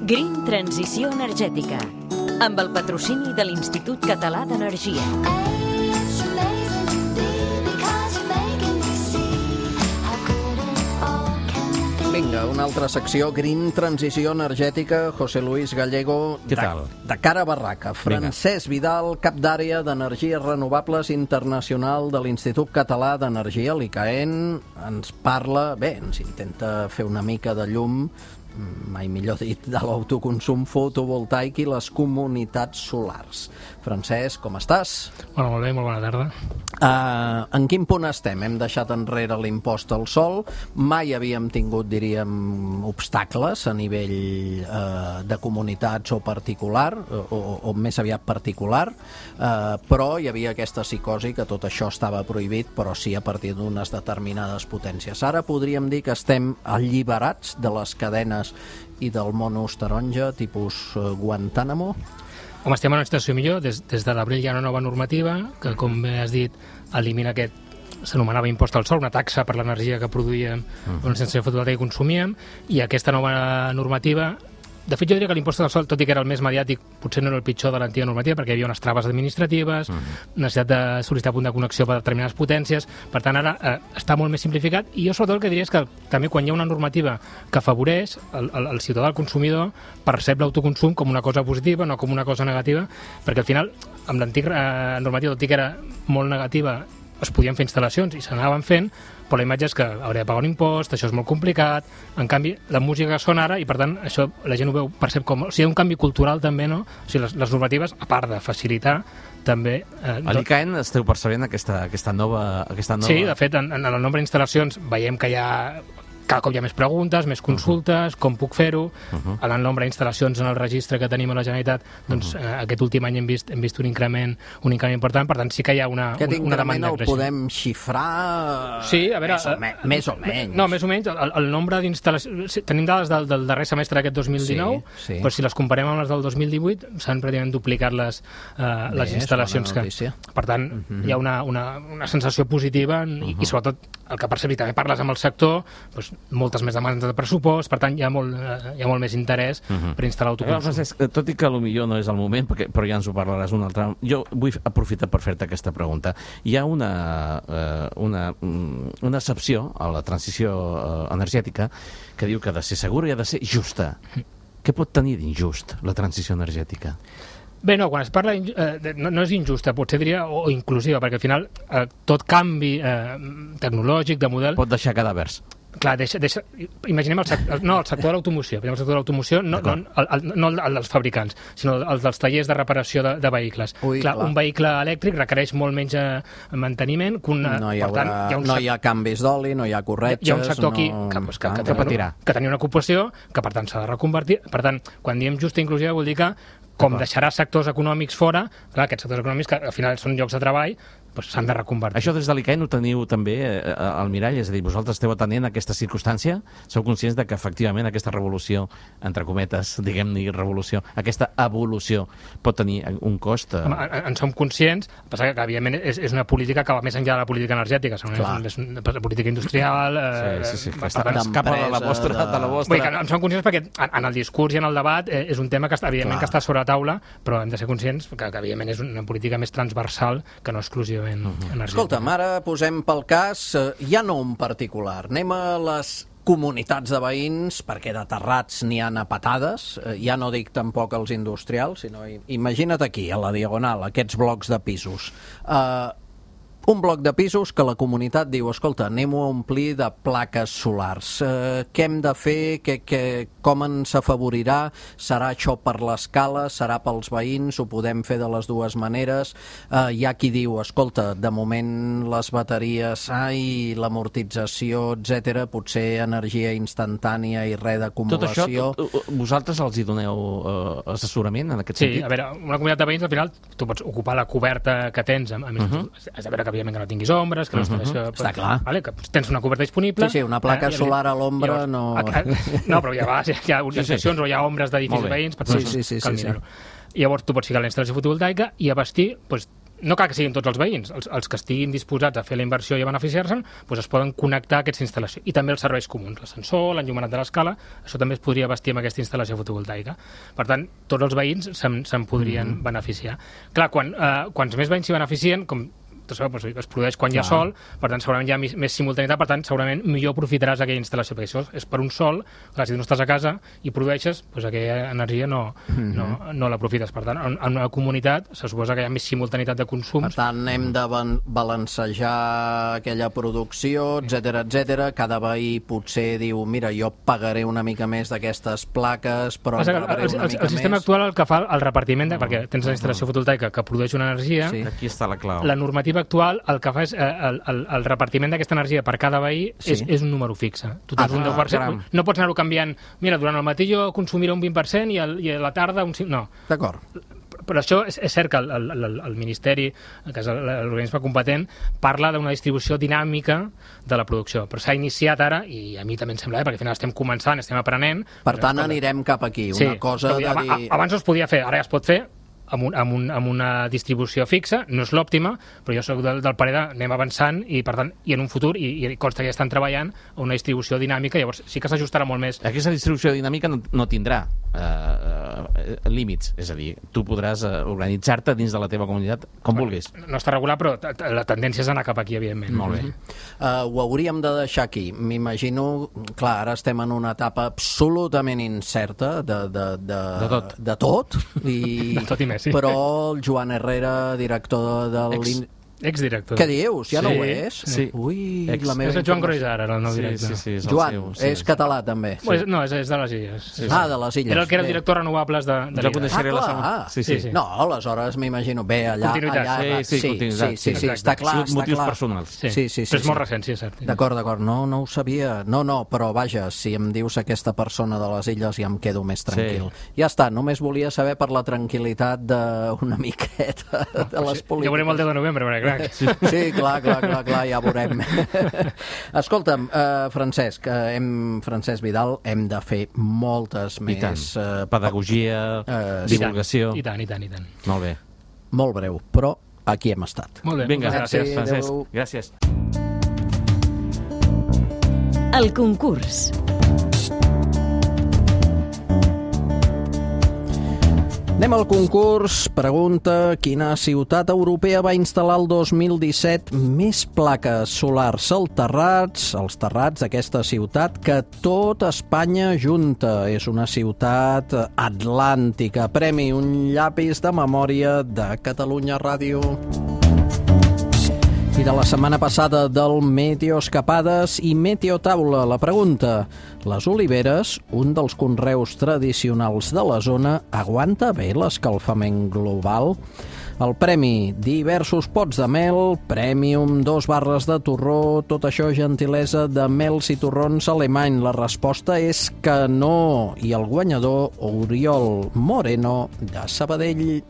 Green Transició Energètica, amb el patrocini de l'Institut Català d'Energia. Vinga, una altra secció, Green Transició Energètica. José Luis Gallego, Què tal? De cara a barraca. Francesc Vidal, cap d'àrea d'Energies Renovables Internacional de l'Institut Català d'Energia, l'ICAEN, ens parla, ens intenta fer una mica de llum, mai millor dit, de l'autoconsum fotovoltaic i les comunitats solars. Francesc, com estàs? Bueno, molt bé, molt bona tarda. En quin punt estem? Hem deixat enrere l'impost al sol, mai havíem tingut, diríem, obstacles a nivell de comunitats o particular, o més aviat particular, però hi havia aquesta psicosi que tot això estava prohibit, però sí a partir d'unes determinades potències. Ara podríem dir que estem alliberats de les cadenes i del monos taronja, tipus Guantánamo? Home, estem en una situació millor. Des de l'abril hi ha una nova normativa que, com bé has dit, elimina aquest, s'anomenava impost al sol, una taxa per l'energia que produïem una instal·lació fotovoltaica i consumíem, i aquesta nova normativa... De fet, jo diria que l'impost al sol, tot i que era el més mediàtic, potser no era el pitjor de l'antiga normativa, perquè hi havia unes traves administratives, necessitat de sol·licitar punt de connexió per a determinades potències. Per tant, ara està molt més simplificat, i jo sobretot el que diria és que també quan hi ha una normativa que afavoreix el ciutadà, el consumidor, percep l'autoconsum com una cosa positiva, no com una cosa negativa, perquè al final, amb l'antiga normativa, tot i que era molt negativa, es podien fer instal·lacions i s'anaven fent, però la imatge és que hauria de pagar un impost, això és molt complicat. En canvi, la música sona ara i, per tant, això la gent ho veu, percep com... O sigui, hi ha un canvi cultural també, no? O sigui, les normatives, a part de facilitar, també... A l'ICAEN esteu percebent aquesta nova... Sí, de fet, en el nombre d'instal·lacions veiem que hi ha... Cada cop hi ha més preguntes, més consultes, com puc fer-ho. En el nombre d'instal·lacions en el registre que tenim a la Generalitat, doncs aquest últim any hem vist un increment important, per tant sí que hi ha una demanda creixent. Aquest increment el podem xifrar... Sí, a veure... Més o menys. No, més o menys. El nombre d'instal·lacions... Tenim dades del darrer semestre d'aquest 2019, però si les comparem amb les del 2018, s'han pràcticament duplicat les instal·lacions. Per tant, hi ha una sensació positiva i sobretot el que percebem, també parles amb el sector, doncs moltes més demandes de pressupost, per tant hi ha molt més interès per instal·lar autoconsum. Francesc, tot i que potser no és el moment, però ja ens ho parlaràs un altre... Jo vull aprofitar per fer-te aquesta pregunta. Hi ha una excepció a la transició energètica que diu que ha de ser segura i ha de ser justa. Què pot tenir d'injust la transició energètica? Bé, no, quan es parla... no és injusta, potser diria, o inclusiva, perquè al final tot canvi tecnològic, de model... Pot deixar cadàvers. Clar, imaginem el sector de l'automoció. El sector de l'automoció, no el dels fabricants, sinó el dels tallers de reparació de vehicles. Clar, un vehicle elèctric requereix molt menys manteniment que no hi ha canvis d'oli, no hi ha corretges... Hi ha un sector aquí que tenia una ocupació, que per tant s'ha de reconvertir. Per tant, quan diem justa i inclusiva vol dir que com deixarà sectors econòmics fora, clar, aquests sectors econòmics que al final són llocs de treball, doncs s'han de reconvertir. Això des de l'ICAEN ho teniu també al mirall, és a dir, vosaltres esteu atenent a aquesta circumstància? Sou conscients de que efectivament aquesta revolució, entre cometes, diguem-ne revolució, aquesta evolució pot tenir un cost? En som conscients, el que passa que evidentment és una política que va més enllà de la política energètica, és una política industrial... Sí, que escapa de la vostra... Vull dir que en som conscients perquè en el discurs i en el debat és un tema que evidentment que està sobre la taula, però hem de ser conscients que evidentment és una política més transversal que no exclusivament energètica. Escolta'm, ara posem pel cas, ja no un particular, anem a les comunitats de veïns, perquè de terrats n'hi ha a patades, ja no dic tampoc els industrials, sinó imagina't aquí, a la Diagonal, aquests blocs de pisos. Un bloc de pisos que la comunitat diu, escolta, anem-ho a omplir de plaques solars. Què hem de fer? Com ens afavorirà? Serà això per l'escala? Serà pels veïns? Ho podem fer de les dues maneres? Hi ha qui diu, escolta, de moment les bateries, l'amortització, etc., potser energia instantània i res d'acumulació. Tot això, vosaltres els hi doneu assessorament en aquest sentit? Sí, a veure, una comunitat de veïns, al final, tu pots ocupar la coberta que tens, has de veure que evidentment que no tinguis ombres, que està clar. Que tens una coberta disponible. Sí, una placa solar a l'ombra no... No, però hi ha organitzacions o hi ha ombres d'edificis veïns, per cal mirar-ho. Llavors tu pots ficar la instal·lació fotovoltaica i abastir no cal que siguin tots els veïns, els que estiguin disposats a fer la inversió i a beneficiar-se'n, doncs es poden connectar a aquesta instal·lació. I també els serveis comuns, l'ascensor, l'enllumenat de l'escala, això també es podria vestir amb aquesta instal·lació fotovoltaica. Per tant, tots els veïns se'n podrien beneficiar. Clar, quants més veïns s'hi beneficien, com es produeix quan hi ha sol, per tant segurament hi ha més simultaneïtat, per tant segurament millor aprofitaràs aquella instal·lació, perquè això és per un sol, clar, si tu no estàs a casa i produeixes, doncs aquella energia no l'aprofites. Per tant, en una comunitat se suposa que hi ha més simultaneïtat de consums. Per tant, hem de balancejar aquella producció, etc. Cada veí potser diu, mira, jo pagaré una mica més d'aquestes plaques, però en rebré una mica més. El sistema actual el que fa el repartiment, perquè tens la instal·lació fotovoltaica que produeix una energia, aquí està la clau. La normativa actual el que fa és el repartiment d'aquesta energia per cada veí és un número fixe. Tu tens un 10%, no pots anar-ho canviant. Mira, durant el matí jo consumiré un 20% i a la tarda un 5%. No. D'acord. Però això és cert que el Ministeri, que és l'organisme competent, parla d'una distribució dinàmica de la producció. Però s'ha iniciat ara, i a mi també em sembla, perquè al final estem començant, estem aprenent. Per tant, anirem cap aquí. Una cosa de dir... Abans no es podia fer, ara ja es pot fer, amb una distribució fixa, no és l'òptima, però jo soc del parer d'anem avançant i, per tant, i en un futur, i consta que ja estan treballant a una distribució dinàmica, llavors sí que s'ajustarà molt més. Aquesta distribució dinàmica no tindrà límits, és a dir, tu podràs organitzar-te dins de la teva comunitat com vulguis. No està regulat, però la tendència és anar cap aquí, evidentment. Molt bé. Ho hauríem de deixar aquí. M'imagino, clar, ara estem en una etapa absolutament incerta de tot. De tot i més, sí. Però el Joan Herrera, director del... Exdirector. Què dius? Ja no ho és? Sí. Ui, la meva... És el Joan Groisar, ara, el nou director. Sí, Joan, és català, també. No, és de les Illes. De les Illes. Era el que era el director renovables de l'Illa. Clar. Sí. No, aleshores m'imagino. Bé, allà... Continuïtat. Sí, està clar. Motius personals. Sí. Però és molt recent, sí, és cert. D'acord. No ho sabia. No, però vaja, si em dius aquesta persona de les Illes ja em quedo més tranquil. Ja està, només volia saber per la tranquil·litat d'una miqueta de les polítiques. Ja veurem el 10 de novembre, perquè clar... Sí, clar, ja veurem. Escolta'm, Francesc Vidal, hem de fer moltes més... Pedagogia, divulgació... I tant. Molt bé. Molt breu, però aquí hem estat. Molt bé. Vinga, gràcies, Francesc. Gràcies. El concurs. Anem al concurs. Pregunta: quina ciutat europea va instal·lar el 2017 més plaques solars als terrats d'aquesta ciutat que tot Espanya junta? És una ciutat atlàntica. Premi un llapis de memòria de Catalunya Ràdio. I de la setmana passada del Meteoescapades i Meteotaula, la pregunta: les oliveres, un dels conreus tradicionals de la zona, aguanta bé l'escalfament global? El premi: diversos pots de mel, Premium, 2 barres de torró, tot això gentilesa de Mels i Torrons Alemany. La resposta és que no. I el guanyador, Oriol Moreno, de Sabadell.